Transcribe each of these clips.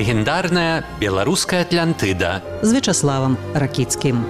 легендарная беларуская Атлантыда з Вячаславам Ракіцкім.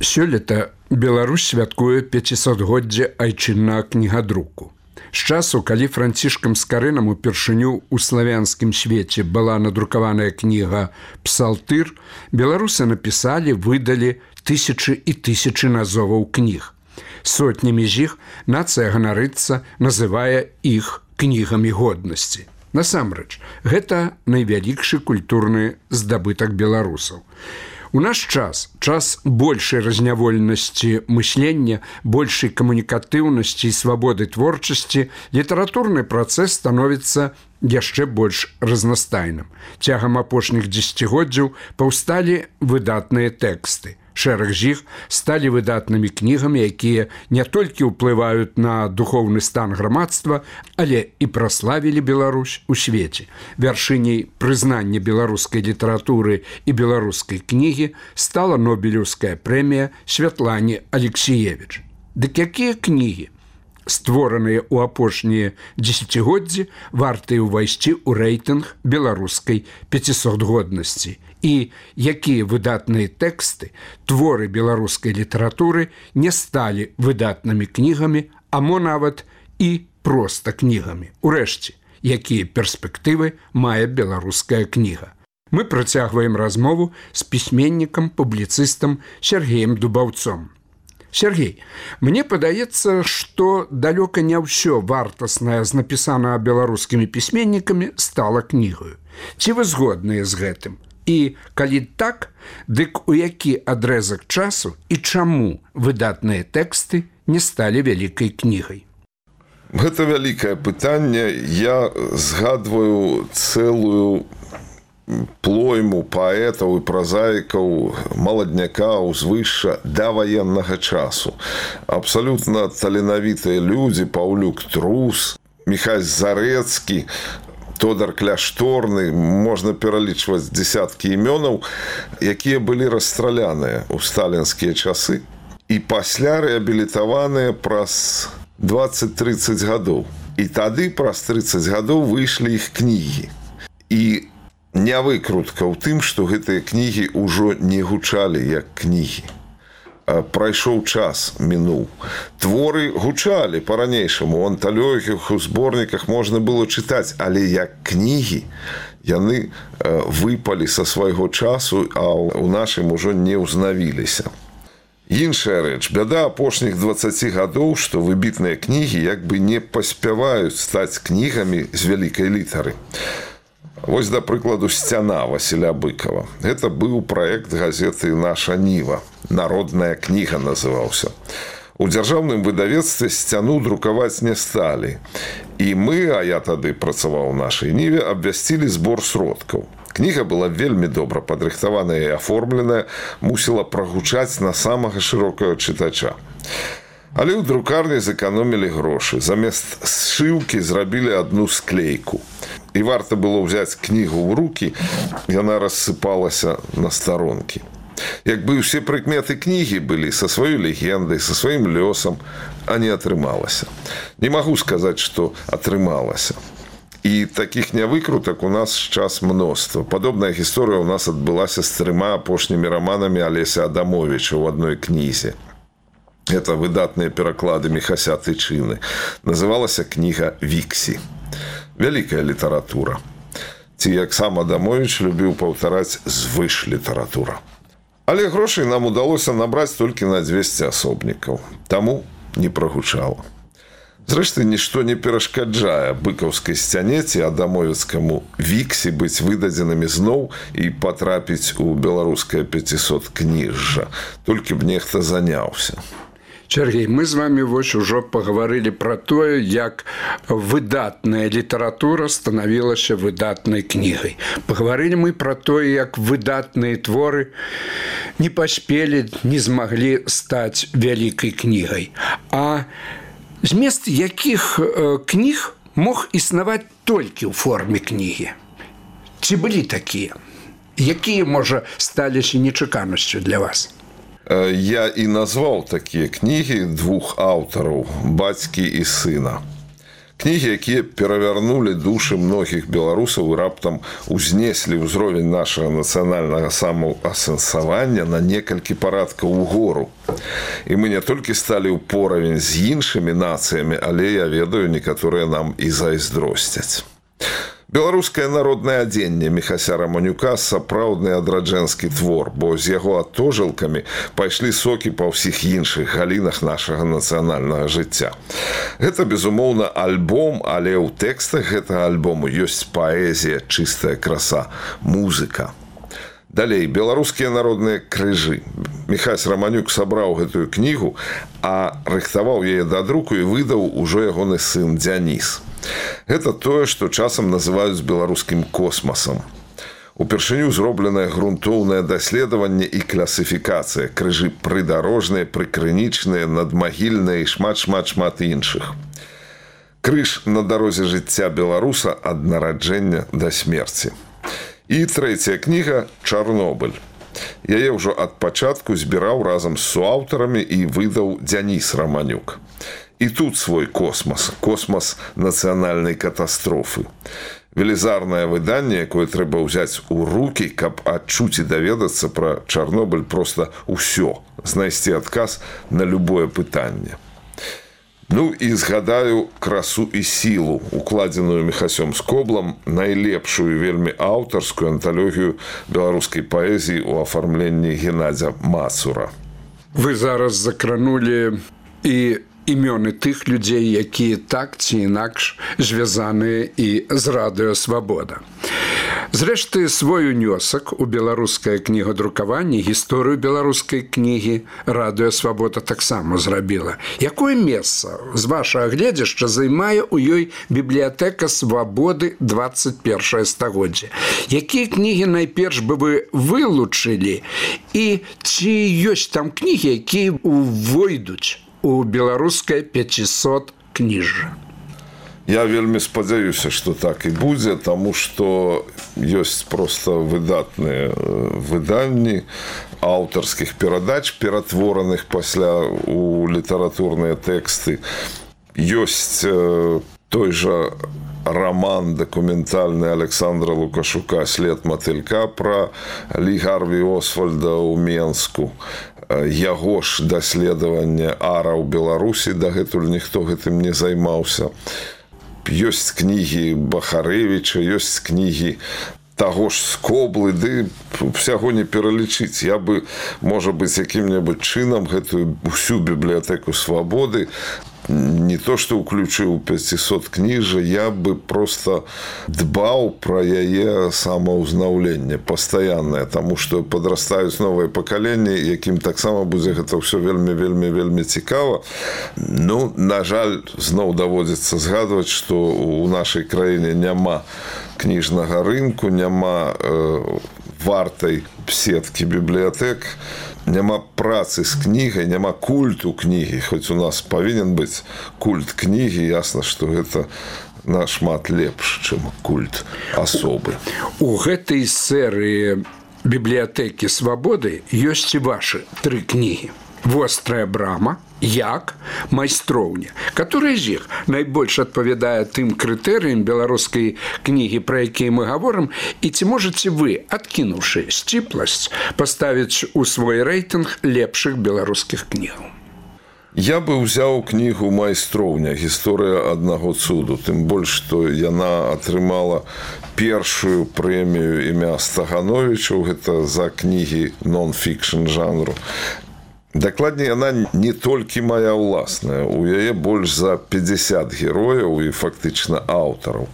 Сёлета Беларусь святкуе 500-годдзе айчыннага кнігадруку. З часу, калі Францішкам Скарынам упершыню ў славянскім свеце была надрукаваная кніга «Псалтыр», беларусы напісалі, выдалі тысячы і тысячы назоваў кніг. Сотнямі з іх нацыя ганарыцца, называе іх кнігамі годнасці. Насамрэч, гэта найвялікшы культурны здабытак беларусаў. У наш час большай разнявольнасці мыслення, большай камунікатыўнасці і свабоды творчасці, літаратурны працэс становіцца яшчэ больш разнастайным. Цягам апошніх дзесяцігоддзяў паўсталі выдатныя тэксты. Шэраг з іх сталі выдатнымі кнігамі, якія не толькі ўплываюць на духоўны стан грамадства, але і праславілі Беларусь у свеце. Вяршыняй прызнання беларускай літаратуры і беларускай кнігі стала Нобелеўская прэмія Святлане Алексіевіч. Дык якія кнігі, створаныя ў апошнія дзесяцігоддзі, вартыя ўвайсці ў рэйтынг беларускай 500-годнасці? І якія выдатныя тэксты, творы беларускай літаратуры не сталі выдатнымі кнігамі, а мо нават і проста кнігамі. Урэшце, якія перспектывы мае беларуская кніга? Мы працягваем размову з пісьменнікам, публіцыстам Сергеем Дубаўцом. Сергей, мне падаецца, што далёка не ўсё вартаснае з напісанага беларускімі пісьменнікамі стала кнігаю. Ці вы згодныя з гэтым? І калі так, дык у які адрэзак часу і чаму выдатныя тэксты не сталі вялікай кнігай? Гэта вялікае пытанне. Я згадваю цэлую плойму паэтаў і празаікаў маладняка ўзвышша да ваеннага часу. Абсалютна таленавітыя людзі: Паўлюк Трус, Міхась Зарэцкі, Тодар Кляшторны, можна пералічваць дзесяткі імёнаў, якія былі расстраляныя ў сталінскія часы і пасля рэабілітаваныя праз 20-30 гадоў. І тады праз 30 гадоў выйшлі іх кнігі. І не выкрутка ў тым, што гэтыя кнігі ўжо не гучалі як кнігі. Прайшоў час, мінуў. Творы гучалі па-ранейшаму, у анталогіях, у зборніках можна было чытаць, але як кнігі яны выпалі са свайго часу, а ў нашым ужо не ўзнавіліся. Іншая рэч, бяда апошніх 20 гадоў, што выбітныя кнігі як бы не паспяваюць стаць кнігамі з вялікай літары. Вось, да прыкладу, «Сцяна» Васіля Быкова. Гэта быў праект газеты «Наша Ніва». «Народная кніга» называўся. У дзяржаўным выдавецтве «Сцяну» друкаваць не сталі. І мы, а я тады працаваў у «Нашай Ніве», абвясцілі збор сродкаў. Кніга была вельмі добра падрыхтаваная і аформленая, мусіла прагучаць на самага шырокага чытача. Але ў друкарні зэканомілі грошы. Замест сшыўкі зрабілі адну склейку. І варта было ўзяць кнігу ў рукі, яна рассыпалася на старонкі. Як бы ўсе прыкметы кнігі былі са сваёй легендай, са сваім лёсам, а не атрымалася. Не магу сказаць, што атрымалася. І такіх нявыкрутак у нас час мноства. Падобная гісторыя ў нас адбылася з 3 апошнімі раманамі Алеся Адамовіча ў адной кнізе. Это выдатныя пераклады Міхася Тычыны. Называлася кніга «Віксі». Вялікая літаратура. Ці, як сам Адамовіч любіў паўтараць, звыш літаратура. Але грошай нам удалося набраць толькі на 200 асобнікаў. Таму не прагучала. Зрэшты, нішто не перашкаджае быкаўскай «Сцяне» ці адамовіцкаму «Віксі» быць выдадзенымі зноў і патрапіць у беларускае 500 кніжжа. Толькі б нехта заняўся. Сергей, мы з вами вось ужо пагаварылі пра тое, як выдатная літаратура станавілася выдатнай кнігай. Пагаварылі мы пра тое, як выдатныя творы не паспелі, не змаглі стаць вялікай кнігай. А змест якіх кніг мог існаваць толькі ў форме кнігі? Ці былі такія? Якія, можа, сталіся нечаканасцю для вас? Я і назваў такія кнігі двух аўтараў, бацькі і сына. Кнігі, якія перавярнулі душы многіх беларусаў і раптам узнеслі ўзровень нашага нацыянальнага самаасэнсавання на некалькі парадкаў угору. І мы не толькі сталі ў поравень з іншымі нацыямі, але я ведаю, некаторыя нам і зайздросцяць. Беларускае народнае адзенне Міхася Раманюка – сапраўдны адраджэнскі твор, бо з яго адтожылкамі пайшлі сокі па ўсіх іншых галінах нашага нацыянальнага жыцця. Гэта, безумоўна, альбом, але ў тэкстах гэтага альбому ёсць паэзія, чыстая краса, музыка. Далей, беларускія народныя крыжы. Міхась Раманюк сабраў гэтую кнігу, а рыхтаваў яе да друку і выдаў ужо ягоны сын Дзяніс. Гэта тое, што часам называюць беларускім космасам. Упершыню зробленае грунтоўнае даследаванне і класіфікацыя, крыжы прыдарожныя, прыкрынічныя, надмагільныя і шмат іншых. Крыж на дарозе жыцця беларуса ад нараджэння да смерці. І трэцяя кніга «Чарнобыль». Яе ўжо ад пачатку збіраў разам з суаўтарамі і выдаў Дзяніс Раманюк. І тут свой космас, космас нацыянальнай катастрофы. Велізарнае выданне, якое трэба ўзяць у рукі, каб адчуць і даведацца пра Чарнобыль проста ўсё, знайсці адказ на любое пытанне. Ну і згадаю красу і сілу, укладзеную Міхасём Скоблам, найлепшую вельмі аўтарскую анталогію беларускай паэзіі ў афармленні Геннадзя Мацура. Вы зараз закранулі і імёны тых людзей, якія так ці інакш звязаныя і з радыё «Свабода». Зрэшты, свой унёсак у беларускае кнігадрукаванне, гісторыю беларускай кнігі радыё «Свабода» таксама зрабіла. Якое месца, з вашага гледзяшча, займае ў ёй бібліятэка «Свабоды» 21 стагоддзя? Якія кнігі найперш бы вы вылучылі? І ці ёсць там кнігі, якія увойдуць у беларускае 500 кніжжа? Я вельмі спадзяюся, што так і будзе, таму што ёсць проста выдатныя выданні аўтарскіх перадач, ператвораных пасля у літаратурныя тэксты. Ёсць той жа роман дакументальны Александра Лукашука «След матылька» пра Лі Гарві Освальда ў Менску. Яго ж даследаванне ара ў Беларусі, дагэтуль ніхто гэтым не займаўся. Ёсць кнігі Бахарэвіча, ёсць кнігі таго ж Скоблы, ды ўсяго не пералічыць. Я бы, можа быць, якім-небудзь чынам гэтую ўсю бібліятэку «Свабоды» не то, што ўключыў 500 кніжак, я бы проста дбаў пра яе самаўзнаўленне пастаяннае, таму што падрастаюць новыя пакаленні, якім таксама будзе гэта ўсё вельмі цікава. Ну, на жаль, зноў даводзіцца згадваць, што ў нашай краіне няма кніжнага рынку, няма вартай сеткі бібліятэк, няма працы з кнігай, няма культу кнігі, хоць у нас павінен быць культ кнігі, ясна, што гэта нашмат лепш, чым культ асобы. У гэтай серыі бібліятэкі «Свабоды» ёсць і вашы 3 кнігі. «Вострая брама», «Як», «Майстроўня». Который з іх найбольш адпавядае тым крытэрыям беларускай кнігі, пра якія мы гаворым, і ці можаце вы, адкінуўшы сціпласць, паставіць у свой рэйтынг лепшых беларускіх кнігаў? Я бы ўзяў кнігу «Майстроўня. Гісторыя аднаго цуду». Тым больш, што яна атрымала першую прэмію імя Стагановічаў, гэта за кнігі нон-фікшн жанру. Дакладней, яна не толькі моя ўласная, у яе больш за 50 герояў і фактычна аўтараў.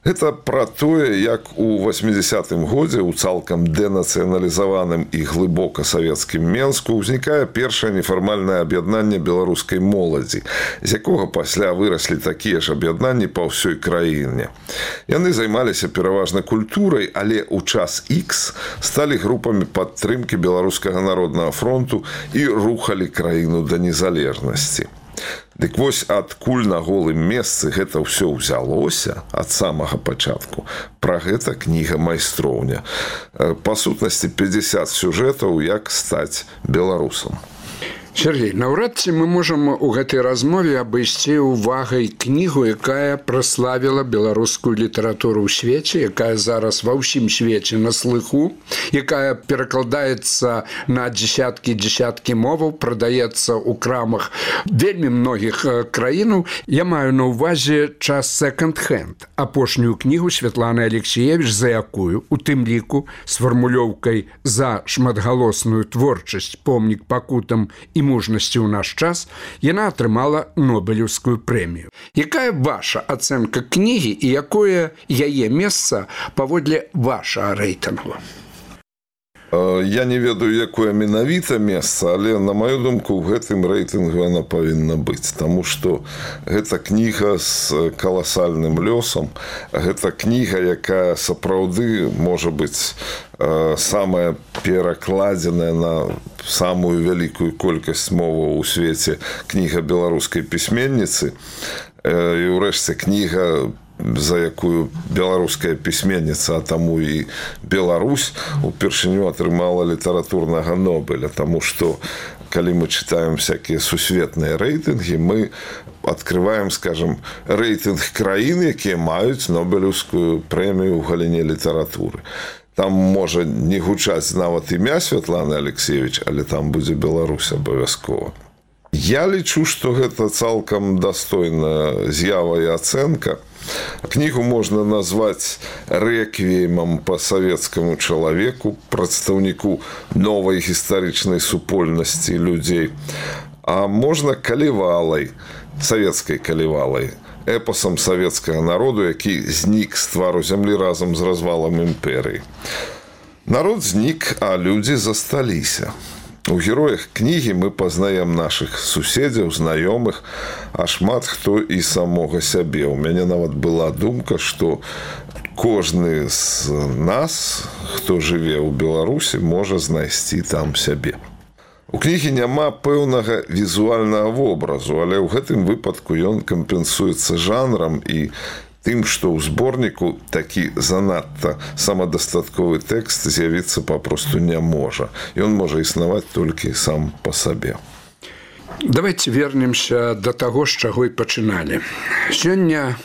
Гэта пра тое, як у 80-м годзе ў цалкам дэнацыяналізаваным і глыбока савецкім Менску ўзнікае першае нефармальнае аб'яднанне беларускай моладзі, з якога пасля выраслі такія ж аб'яднанні па ўсёй краіне. Яны займаліся пераважна культурай, але ў час Х сталі групамі падтрымкі Беларускага народнага фронту і рухалі краіну да незалежнасці. Дык вось адкуль на голым месцы гэта ўсё ўзялося ад самага пачатку. Пра гэта кніга «Майстроўня». Па сутнасці 50 сюжэтаў, як стаць беларусам. Сергей, наўрад ці мы можам у гэтай размове абысці ўвагай кнігу, якая праславіла беларускую літаратуру ў свеце, якая зараз ва ўсім свеце на слыху, якая перакладаецца на дзесяткі моваў, прадаецца ў крамах вельмі многіх краінаў. Я маю на ўвазе час секонд-хенд, апошнюю кнігу Святланы Алексеевич, за якую, у тым ліку, з фармулёўкай «За шматгалосную творчасць, помнік пакутам і мужнасці ў наш час», яна атрымала Нобелеўскую прэмію. Якая ваша ацэнка кнігі і якое яе месца паводле вашага рэйтынгу? Я не ведаю, якое менавіта месца, але, на маю думку, у гэтым рэйтынгу яна павінна быць, таму што гэта кніга з каласальным лёсам, гэта кніга, якая сапраўды можа быць самая перакладзеная на самую вялікую колькасць моваў у свеце кніга беларускай пісьменніцы, і ўрэшце кніга, за якую беларуская пісьменніца, а таму і Беларусь упершыню атрымала літаратурнага Нобеля, таму што калі мы чытаем всякія сусветныя рэйтынгі, мы адкрываем, скажем, рэйтынг краін, якія маюць Нобелеўскую прэмію ў галіне літаратуры. Там можа не гучаць нават імя Святланы Алексеевич, але там будзе Беларусь абавязкова. Я лічу, што гэта цалкам дастойная з'ява і ацэнка. Кнігу можна назваць рэквіемам па савецкаму чалавеку, прадстаўніку новай гістарычнай супольнасці людзей, а можна калівалай, савецкай калівалай, эпосам савецкага народу, які знік з твару зямлі разам з развалам імперыі. Народ знік, а людзі засталіся. У героях кнігі мы пазнаем нашых суседзяў, знаёмых, а шмат хто і самога сябе. У мяне нават была думка, што кожны з нас, хто жыве ў Беларусі, можа знайсці там сябе. У кнігі няма пэўнага візуальнага вобразу, але ў гэтым выпадку ён кампенсуецца жанрам і тым, што ў зборніку такі занадта самадастатковы тэкст з'явіцца папросту не можа. Ён можа існаваць толькі сам па сабе. Давайте вернемся до таго, з чаго і пачыналі. Сёння,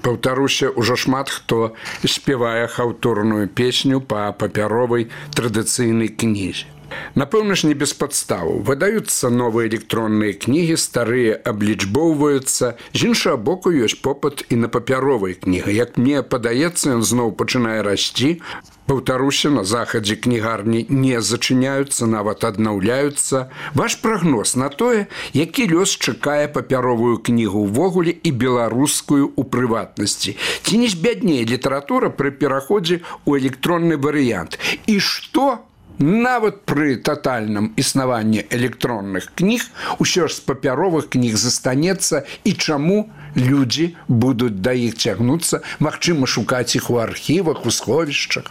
паўтаруся, ужо шмат хто спявае хаўтурную песню па папяровай традыцыйнай кнізе. Напэўна ж, не без падставаў. Выдаюцца новыя электронныя кнігі, старыя аблічбоўваюцца. З іншага боку, ёсць попыт і на папяровай кнігі. Як мне падаецца, ён зноў пачынае расці. Паўтаруся, на захадзе кнігарні не зачыняюцца, нават аднаўляюцца. Ваш прагноз на тое, які лёс чакае папяровую кнігу ўвогуле і беларускую ў прыватнасці. Ці не збяднее літаратура пры пераходзе ў электронны варыянт? І што нават пры татальным існаванні электронных кніг усё ж з папяровых кніг застанецца, і чаму людзі будуць да іх цягнуцца, магчыма, шукаць іх у архівах, у сховішчах?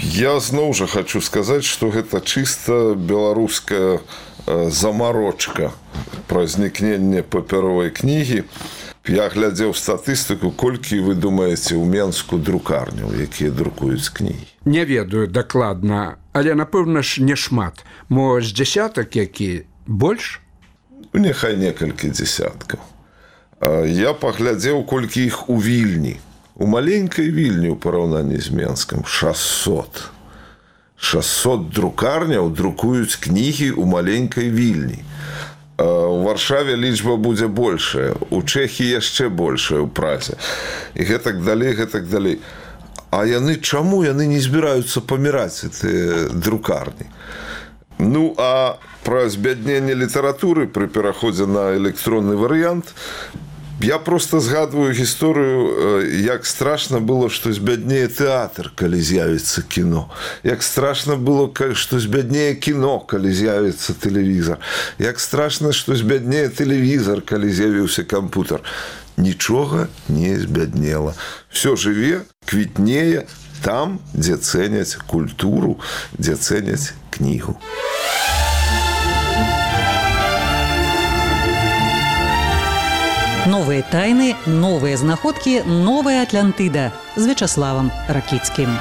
Я зноў жа хочу сказаць, што гэта чыста беларуская замарочка пра знікненне папяровай кнігі. Я глядзеў статыстыку, колькі вы думаеце ў Менску друкарняў, якія друкуюць кнігі? Не ведаю дакладна, але, напэўна ж, не шмат. Мо з дзясятак які больш? Няхай некалькі дзесяткаў. Я паглядзеў, колькі іх у Вільні. У маленькай Вільні ў параўнанні з Менскам 600. 600 друкарняў друкуюць кнігі ў маленькай Вільні. У Варшаве лічба будзе большая, у Чэхіі яшчэ большая, у Празе. І гэтак далей, гэтак далей. А яны чаму? Яны не збіраюцца паміраць, гэтыя друкарні. Ну, а пра збядненне літаратуры пры пераходзе на электронны варыянт я просто згадваю гісторыю, як страшна было, што збяднее тэатр, калі з'явіцца кіно. Як страшна было, што збяднее кіно, калі з'явіцца тэлевізар. Як страшна, што збяднее тэлевізар, калі з'явіўся кампутер. Нічога не збяднела. Всё жыве, квітнее там, дзе цэняць культуру, дзе цэняць кнігу. Новыя тайны, новыя знаходкі, новая Атлантыда з Вячаславам Ракіцкім.